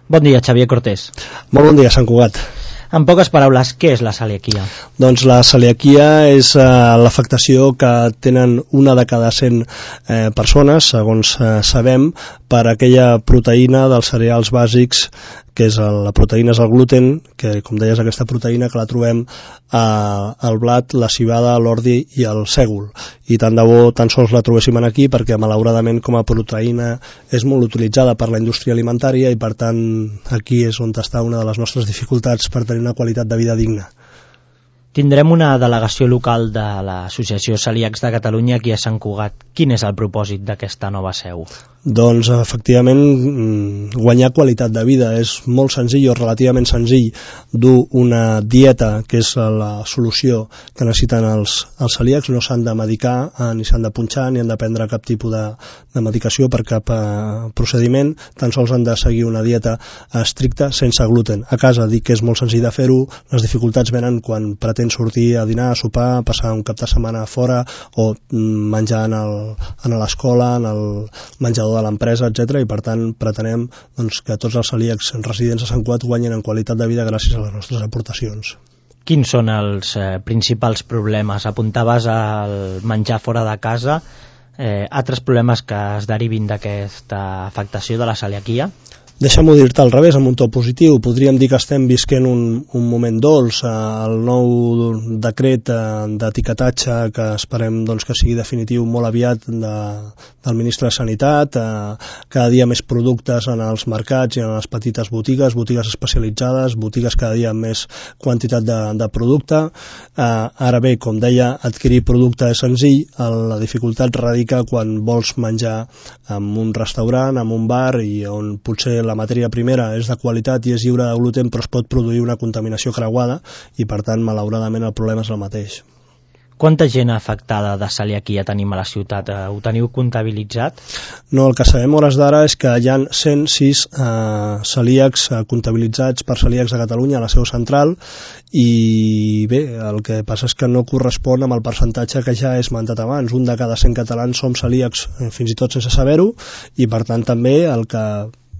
Bon dia, Xavier Cortés. Molt bon dia, Sant Cugat. En poques paraules, què és la celiaquia? Doncs la celiaquia és l'afectació que tenen una de cada 100 persones, segons sabem, per aquella proteïna dels cereals bàsics, que és la proteïna és el gluten, que com deies aquesta proteïna que la trobem al blat, la civada, l'ordi i el sègol. I tant de bo tan sols la trobéssim aquí perquè malauradament com a proteïna és molt utilitzada per la indústria alimentària i per tant aquí és on està una de les nostres dificultats per tenir una qualitat de vida digna. Tindrem una delegació local de l'Associació Celíacs de Catalunya aquí a Sant Cugat. Quin és el propòsit d'aquesta nova seu? Doncs efectivament guanyar qualitat de vida és molt senzill o relativament senzill dur una dieta que és la solució que necessiten els celíacs. No s'han de medicar, ni s'han de punxar, ni han de prendre cap tipus de medicació per cap procediment, tan sols han de seguir una dieta estricta sense gluten. A casa dic que és molt senzill de fer-ho, les dificultats venen quan pretens sortir a dinar, a sopar, passar un cap de setmana fora o menjar a l'escola, en el menjador de l'empresa, etc. I per tant pretenem que tots els celíacs residents a Sant Cugat guanyen en qualitat de vida gràcies a les nostres aportacions. Quins són els principals problemes? Apuntaves al menjar fora de casa. Altres problemes que es derivin d'aquesta afectació de la celiaquia? Deixa'm-ho dir-te al revés, amb un to positiu. Podríem dir que estem visquent un moment dolç. El nou decret d'etiquetatge que esperem que sigui definitiu molt aviat del ministre de Sanitat, cada dia més productes en els mercats i en les petites botigues especialitzades, botigues cada dia amb més quantitat de producte. Ara bé, com deia, adquirir producte és senzill, la dificultat radica quan vols menjar en un restaurant, en un bar, i on potser la matèria primera és de qualitat i és lliure de gluten, però es pot produir una contaminació creuada i per tant malauradament el problema és el mateix. Quanta gent afectada de celiaquia tenim a la ciutat? Ho teniu comptabilitzat? No, el que sabem a hores d'ara és que hi ha 106 celíacs comptabilitzats per Celíacs de Catalunya a la seu central i bé, el que passa és que no correspon amb el percentatge que ja he esmentat abans. Un de cada 100 catalans som celíacs fins i tot sense saber-ho i per tant també el que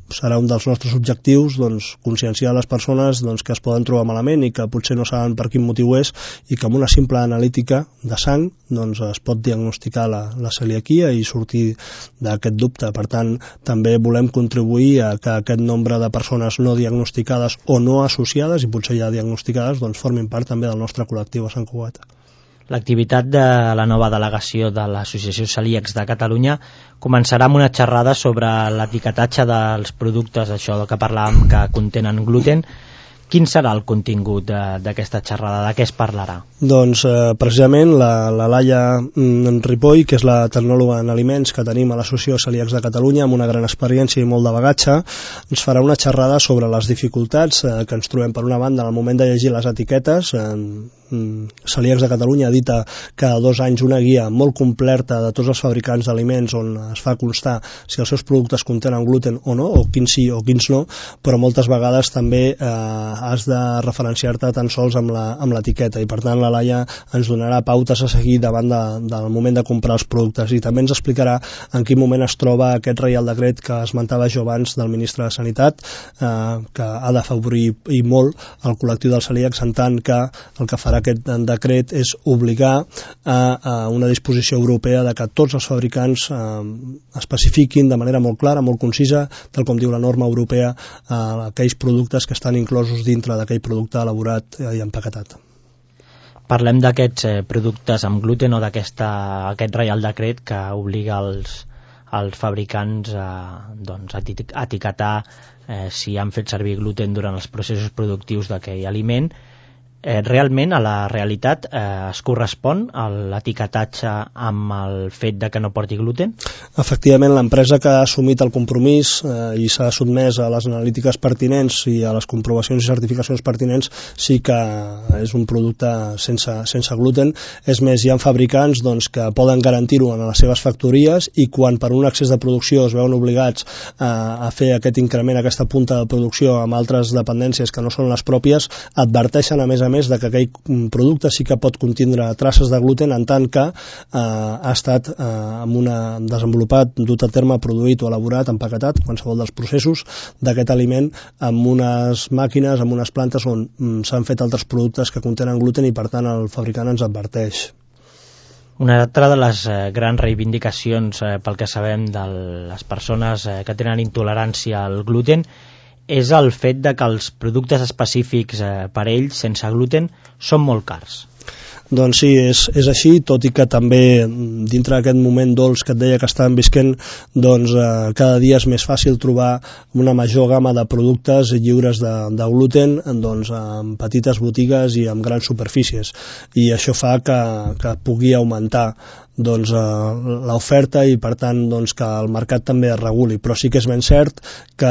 serà un dels nostres objectius, conscienciar les persones que es poden trobar malament i que potser no saben per quin motiu és i que amb una simple analítica de sang es pot diagnosticar la celiaquia i sortir d'aquest dubte. Per tant, també volem contribuir a que aquest nombre de persones no diagnosticades o no associades i potser ja diagnosticades formin part també del nostre col·lectiu a Sant Cugat. L'activitat de la nova delegació de l'Associació Celíacs de Catalunya començarà amb una xerrada sobre l'etiquetatge dels productes, això que parlàvem, que contenen gluten. Quin serà el contingut d'aquesta xerrada? De què es parlarà? Doncs precisament la Laia Ripoll, que és la tecnòloga en aliments que tenim a l'Associació Celíacs de Catalunya, amb una gran experiència i molt de bagatge, ens farà una xerrada sobre les dificultats que ens trobem per una banda en el moment de llegir les etiquetes. Celíacs de Catalunya edita cada 2 anys una guia molt completa de tots els fabricants d'aliments on es fa constar si els seus productes contenen gluten o no, o quins sí o quins no, però moltes vegades també has de referenciar-te tan sols amb l'etiqueta i per tant la Laia ens donarà pautes a seguir davant del moment de comprar els productes i també ens explicarà en quin moment es troba aquest reial decret que esmentava jo abans del ministre de Sanitat, que ha d'afavorir i molt el col·lectiu dels celíacs, en tant que el que farà aquest decret és obligar a una disposició europea de que tots els fabricants especifiquin de manera molt clara, molt concisa, tal com diu la norma europea, aquells productes que estan inclosos dintre d'aquell producte elaborat i empaquetat. Parlem d'aquests productes amb gluten o d'aquest reial decret que obliga els fabricants a etiquetar si han fet servir gluten durant els processos productius d'aquell aliment. Realment, a la realitat, es correspon a l'etiquetatge amb el fet de que no porti gluten? Efectivament, l'empresa que ha assumit el compromís i s'ha sotmès a les analítiques pertinents i a les comprovacions i certificacions pertinents sí que és un producte sense gluten. És més, hi ha fabricants que poden garantir-ho en les seves factories i quan per un excés de producció es veuen obligats a fer aquest increment, aquesta punta de producció amb altres dependències que no són les pròpies, adverteixen a més més de que aquell producte sí que pot contindre traces de gluten en tant que ha estat desenvolupat, dut a terme, produït o elaborat, empaquetat, qualsevol dels processos d'aquest aliment amb unes màquines, amb unes plantes on s'han fet altres productes que contenen gluten i per tant el fabricant ens adverteix. Una altra de les grans reivindicacions pel que sabem de les persones que tenen intolerància al gluten és el fet de que els productes específics per ells, sense gluten, són molt cars. Doncs sí, és així, tot i que també dintre d'aquest moment dolç que et deia que estàvem visquent, doncs cada dia és més fàcil trobar una major gamma de productes lliures de gluten, doncs en petites botigues i amb grans superfícies, i això fa que pugui augmentar doncs l'oferta i per tant doncs, que el mercat també es reguli, però sí que és ben cert que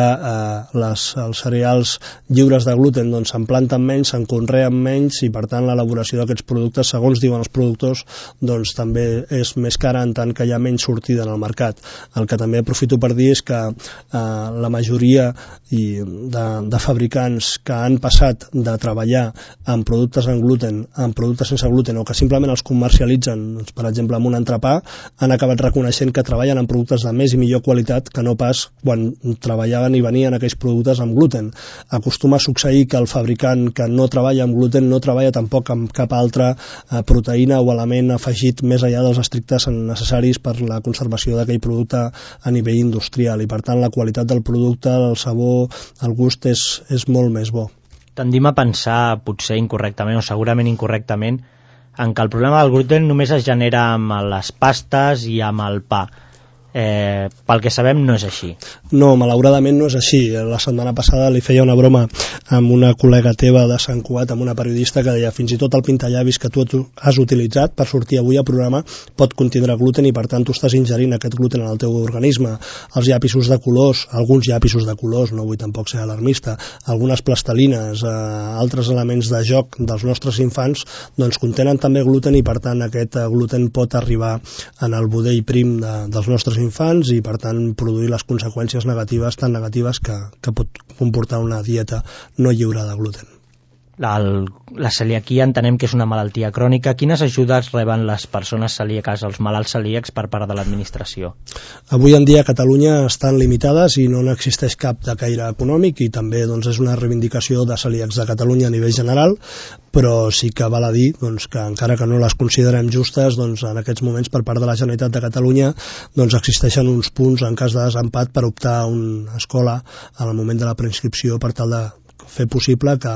els cereals lliures de gluten doncs se'n planten menys, se'n conreen menys i per tant l'elaboració d'aquests productes, segons diuen els productors, doncs també és més cara en tant que hi ha menys sortida en el mercat. El que també aprofito per dir és que la majoria de fabricants que han passat de treballar amb productes en gluten, amb productes sense gluten o que simplement els comercialitzen, doncs, per exemple amb un entrepà, han acabat reconeixent que treballen amb productes de més i millor qualitat que no pas quan treballaven i venien aquells productes amb gluten. Acostuma a succeir que el fabricant que no treballa amb gluten no treballa tampoc amb cap altra proteïna o element afegit més enllà dels estrictes necessaris per la conservació d'aquell producte a nivell industrial i per tant la qualitat del producte, el sabor, el gust és molt més bo. Tendim a pensar, potser incorrectament o segurament incorrectament, en què el problema del gluten només es genera amb les pastes i amb el pa. Pel que sabem no és així. No, malauradament no és així. La setmana passada li feia una broma amb una col·lega teva de Sant Cugat, amb una periodista que deia fins i tot el pintallavis que tu has utilitzat per sortir avui al programa pot contindre gluten i per tant tu estàs ingerint aquest gluten en el teu organisme. Els llapisos de colors, alguns llapisos de colors, no vull tampoc ser alarmista, algunes plastelines, altres elements de joc dels nostres infants doncs contenen també gluten i per tant aquest gluten pot arribar en el budell prim dels nostres infants i per tant produir les conseqüències negatives tan negatives que pot comportar una dieta no lliure de gluten. La celiaquia entenem que és una malaltia crònica. Quines ajudes reben les persones celíaques, els malalts celíacs, per part de l'administració? Avui en dia a Catalunya estan limitades i no n'existeix cap de caire econòmic i també doncs, és una reivindicació de celíacs de Catalunya a nivell general, però sí que val a dir doncs, que encara que no les considerem justes, doncs, en aquests moments per part de la Generalitat de Catalunya doncs, existeixen uns punts en cas de desempat per optar a una escola al moment de la preinscripció per tal de fer possible que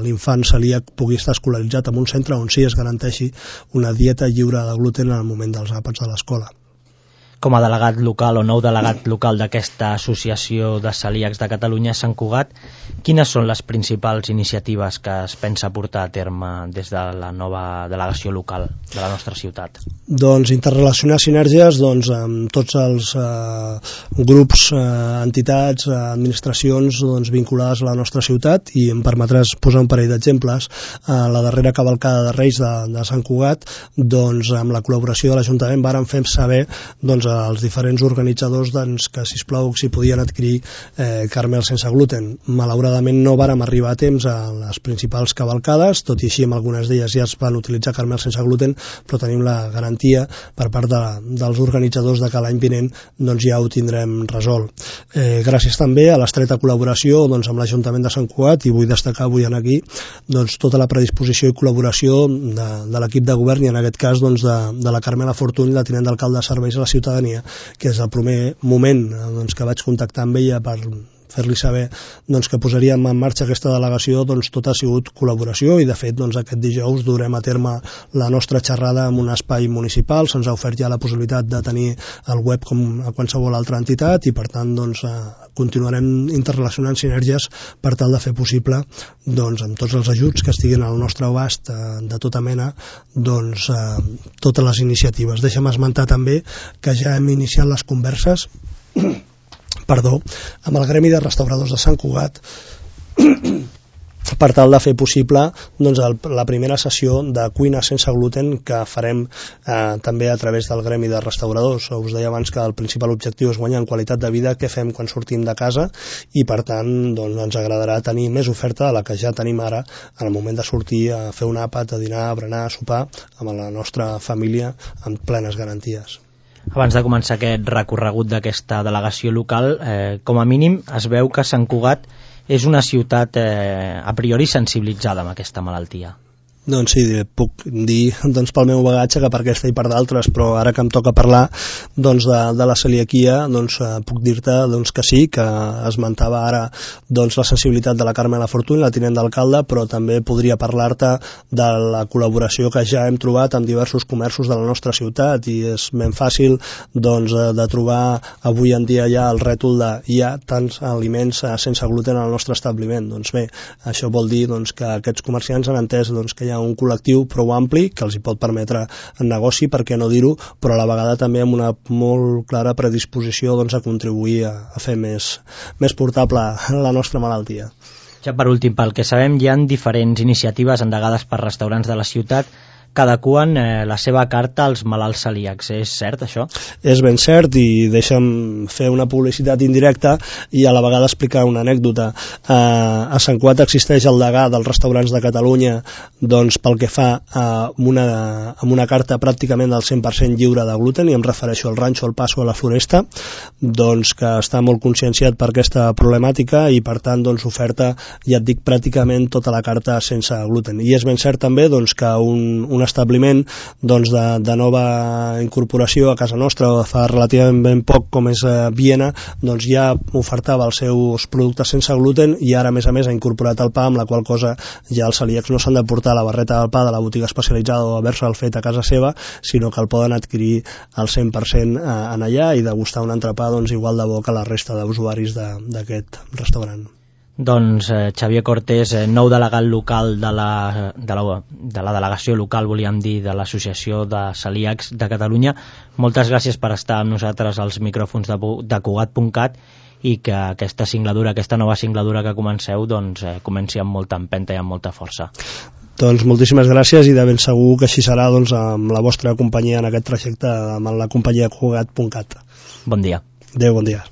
l'infant celíac pugui estar escolaritzat en un centre on sí es garanteixi una dieta lliure de gluten en el moment dels àpats de l'escola. Com a delegat local o nou delegat local d'aquesta associació de celíacs de Catalunya a Sant Cugat, quines són les principals iniciatives que es pensa portar a terme des de la nova delegació local de la nostra ciutat? Doncs interrelacionar sinergies amb tots els grups, entitats, administracions vinculades a la nostra ciutat i em permetràs posar un parell d'exemples. La darrera cavalcada de Reis de Sant Cugat, amb la col·laboració de l'Ajuntament vàrem fer saber als diferents organitzadors que sisplau si podien adquirir caramels sense gluten. Malauradament no vàrem arribar a temps a les principals cavalcades, tot i així en algunes d'elles ja es van utilitzar caramels sense gluten, però tenim la garantia per part dels organitzadors de que l'any vinent ja ho tindrem resolt. Gràcies també a l'estreta col·laboració amb l'Ajuntament de Sant Cugat, i vull destacar avui aquí tota la predisposició i col·laboració de l'equip de govern i en aquest cas de la Carmela Fortuny, la tinent d'alcalde de serveis a la ciutadania, que és el primer moment que vaig contactar amb ella per fer-li saber que posaríem en marxa aquesta delegació. Tot ha sigut col·laboració i de fet aquest dijous durem a terme la nostra xerrada en un espai municipal. Se'ns ha ofert ja la possibilitat de tenir el web com a qualsevol altra entitat i per tant continuarem interrelacionant sinergies per tal de fer possible amb tots els ajuts que estiguin al nostre abast de tota mena totes les iniciatives. Deixa'm esmentar també que ja hem iniciat les converses amb el Gremi de Restauradors de Sant Cugat per tal de fer possible doncs, la primera sessió de cuina sense gluten que farem també a través del gremi de restauradors. Us deia abans que el principal objectiu és guanyar en qualitat de vida, què fem quan sortim de casa, i per tant doncs, ens agradarà tenir més oferta de la que ja tenim ara en el moment de sortir a fer un àpat, a dinar, a berenar, a sopar amb la nostra família amb plenes garanties. Abans de començar aquest recorregut d'aquesta delegació local, com a mínim es veu que Sant Cugat és una ciutat a priori sensibilitzada amb aquesta malaltia. Doncs sí, puc dir doncs, pel meu bagatge que per aquesta i per d'altres, però ara que em toca parlar doncs, de la celiaquia, doncs, puc dir-te doncs, que sí, que esmentava ara doncs, la sensibilitat de la Carme La Fortuny, la tinent d'alcalde, però també podria parlar-te de la col·laboració que ja hem trobat amb diversos comerços de la nostra ciutat, i és ben fàcil doncs, de trobar avui en dia ja el rètol de hi ha tants aliments sense gluten al nostre establiment. Doncs bé, això vol dir doncs, que aquests comerciants han entès doncs, que hi ha un col·lectiu prou ampli que els hi pot permetre el negoci, per què no dir-ho, però a la vegada també amb una molt clara predisposició doncs, a contribuir a fer més portable la nostra malaltia. Ja per últim, pel que sabem, hi ha diferents iniciatives endegades per restaurants de la ciutat que adeqüen la seva carta als malalts celíacs. És cert, això? És ben cert, i deixa'm fer una publicitat indirecta i a la vegada explicar una anècdota. A Sant Cugat existeix el degà dels restaurants de Catalunya doncs, pel que fa amb una carta pràcticament del 100% lliure de gluten, i em refereixo al Ranxo, al Paso, a la Floresta, doncs, que està molt conscienciat per aquesta problemàtica i per tant doncs, oferta, ja et dic, pràcticament tota la carta sense gluten. I és ben cert també doncs, que un establiment doncs, de nova incorporació a casa nostra fa relativament ben poc, com és Viena, doncs ja ofertava els seus productes sense gluten, i ara a més ha incorporat el pa, amb la qual cosa ja els celíacs no s'han de portar la barreta del pa de la botiga especialitzada o haver-se'l fet a casa seva, sinó que el poden adquirir al 100% en allà i degustar un entrepà doncs, igual de bo que la resta d'usuaris d'aquest restaurant. Doncs Xavier Cortés, nou delegat local de la delegació local, volíem dir, de l'Associació de Celíacs de Catalunya, moltes gràcies per estar amb nosaltres als micròfons de Cugat.cat, i que aquesta nova singladura que comenceu doncs, comenci amb molta empenta i amb molta força. Doncs moltíssimes gràcies, i de ben segur que així serà doncs, amb la vostra companyia en aquest trajecte, amb la companyia Cugat.cat. Bon dia. Adéu, bon dia.